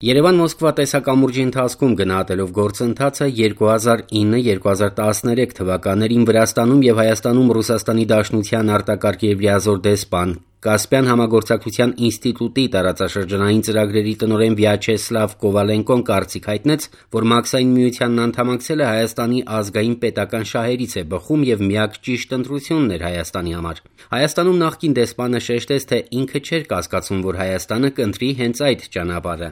Երևան-Մոսկվա տեսակամուրջի ընթացքում գնահատելով գործընթացը 2009-2013 թվականներին Վրաստանում և Հայաստանում Ռուսաստանի Դաշնության արտակարգ և լիազոր դեսպան, Կասպյան համագործակցության ինստիտուտի տարածաշրջանային ծրագրերի տնօրեն Վյաչեսլավ Կովալենկոն կարծիք հայտնեց, որ Մաքսային միությանն անդամակցելը Հայաստանի ազգային պետական շահերից է բխում և միակ ճիշտ ընտրությունն էր Հայաստանի համար։ Հայաստանում նախկին դեսպանը շեշտեց, թե ինքը չէր կասկածում, որ Հայաստանը կընտրի հենց այդ ճանապարհը։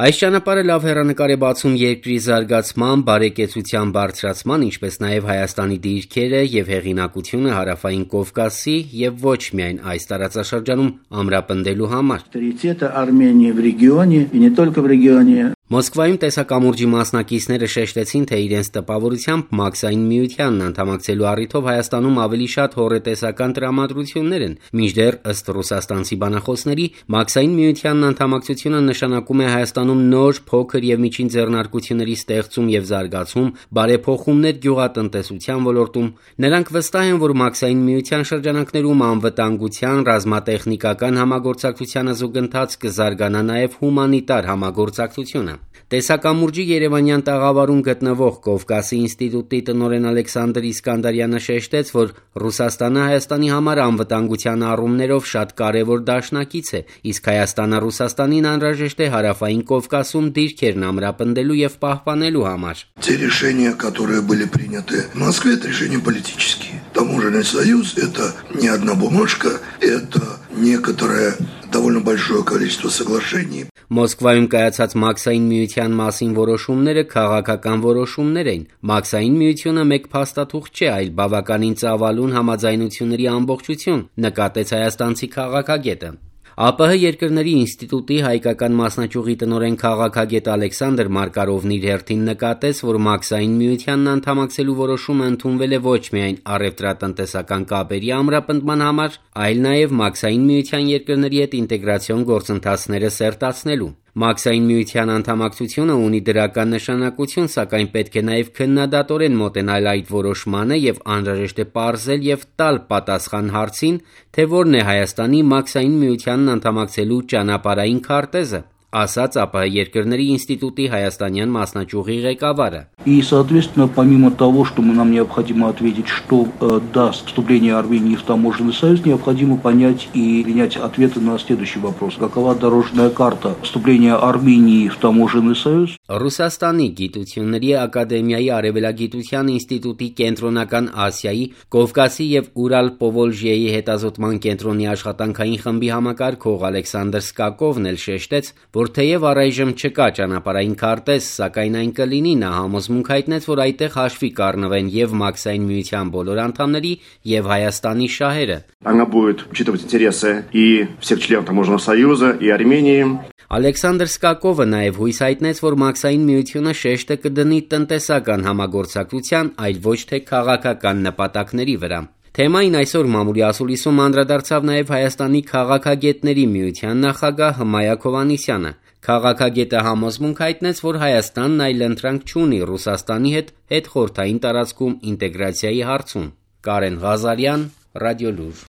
Այս ճանապարհը լավ հեռանկար է բացում երկրի զարգացման, բարեկեցության բարձրացման, ինչպես նաև Հայաստանի դիրքերը և հեղինակությունը Հարավային Կովկասի և ոչ միայն այս տարածաշրջանում ամրապնդելու համար։ Մոսկվայում տեսակամուրջի մասնակիցները շեշտեցին, թե իրենց տպավորությամբ Մաքսային միությանն անդամակցելու առիթով Հայաստանում ավելի շատ հոռետեսական տրամադրություններ են, մինչդեռ ըստ ռուսաստանցի բանախոսների Մաքսային միությանն անդամակցությունը նշանակում է Հայաստանում նոր, փոքր և միջին ձեռնարկությունների ստեղծում և զարգացում, բարեփոխումներ գյուղատնտեսության ոլորտում։ Նրանք վստահ են, որ Մաքսային միության շրջանակներում անվտանգության, ռազմատեխնիկական համագործակցությանը զուգընթաց կզարգանա նաև հումանիտար համագործակցությունը։ Տեսակամուրջի երևանյան տաղավարում գտնվող Կովկասի ինստիտուտի տնօրեն Ալեքսանդր Իսկանդարյանը շեշտեց, որ Ռուսաստանը Հայաստանի համար անվտանգության առումներով շատ կարևոր դաշնակից է, իսկ Հայաստանը Ռուսաստանին անհրաժեշտ է Հարավային Կովկասում դիրքերն ամրապնդելու և պահպանելու համար։ Те решения, которые были приняты в Москве, это решения политические. Таможенный союз – это не одна бумажка, это некоторое довольно большое количество соглашений. Մոսկվայում կայացած Մաքսային միության մասին որոշումները քաղաքական որոշումներ են։ Մաքսային միությունը մեկ փաստաթուղթ չէ, այլ բավականին ծավալուն համաձայնությունների ամբողջություն, նկատեց հայաստանցի քաղաքագետը։ ԱՊՀ երկրների ինստիտուտի հայկական մասնաճյուղի տնօրեն քաղաքագետ Ալեքսանդր Մարկարովն իր հերթին նկատեց, որ Մաքսային միությանն անդամակցելու որոշումը ընդունվել է ոչ միայն առևտրատնտեսական կապերի ամրապնդման համար, այլ նաև Մաքսային միության երկրների հետ ինտեգրացիոն գործընթացները սերտացնելու։ Մաքսային միության անդամակցությունը ունի դրական նշանակություն, սակայն պետք է նաև քննադատորեն մոտենալ այդ որոշմանը և անհրաժեշտ է պարզել և տալ պատասխան հարցին, թե որն է Հայաստանի Մաքսային միությանն անդամակցելու ճանապարհային քարտեզը, ասաց ԱՊՀ երկրների ինստիտուտի հայաստանյան մասնաճյուղի ղեկավարը։ И, соответственно, помимо того, что нам необходимо ответить, что даст вступление Армении в таможенный союз, необходимо понять и принять ответы на следующий вопрос. Какова дорожная карта вступления Армении в таможенный союз? Ռուսաստանի գիտությունների ակադեմիայի արևելագիտության ինստիտուտի կենտրոնական Ասիայի, Կովկասի և Ուրալ-Պովոլժիեի հետազոտման կենտրոնի աշխատանքային խմբի համակարգող Ալեքսանդր Սկակովն էլ շեշտեց, որ թեև առայժմ չկա ճանապարհային քարտեզ, սակայն այն կլինի, նա համոզմունք հայտնեց, որ այդտեղ հաշվի կառնվեն և Մաքսային միության բոլոր անդամների և Հայաստանի շահերը։ Она будет учитывать интересы и всех членов таможенного союза, и Армении. Ալեքսանդր Սկակովը նաև հույս հայտնեց, որ Մաքսային միությունը շեշտը կդնի տնտեսական համագործակցության, այլ ոչ թե քաղաքական նպատակների վրա։ Թեմային այսօր մամուլի ասուլիսում անդրադարձավ նաև Հայաստանի քաղաքագետների միության նախագահ Հմայակ Հովհաննիսյանը։ Քաղաքագետը համոզմունք հայտնեց, որ Հայաստանն այլ ընտրանք չունի Ռուսաստանի հետ հետխորհրդային տարածքում ինտեգրացիայի հարցում։ Կարեն Ղազարյան, Ռադիոլուր։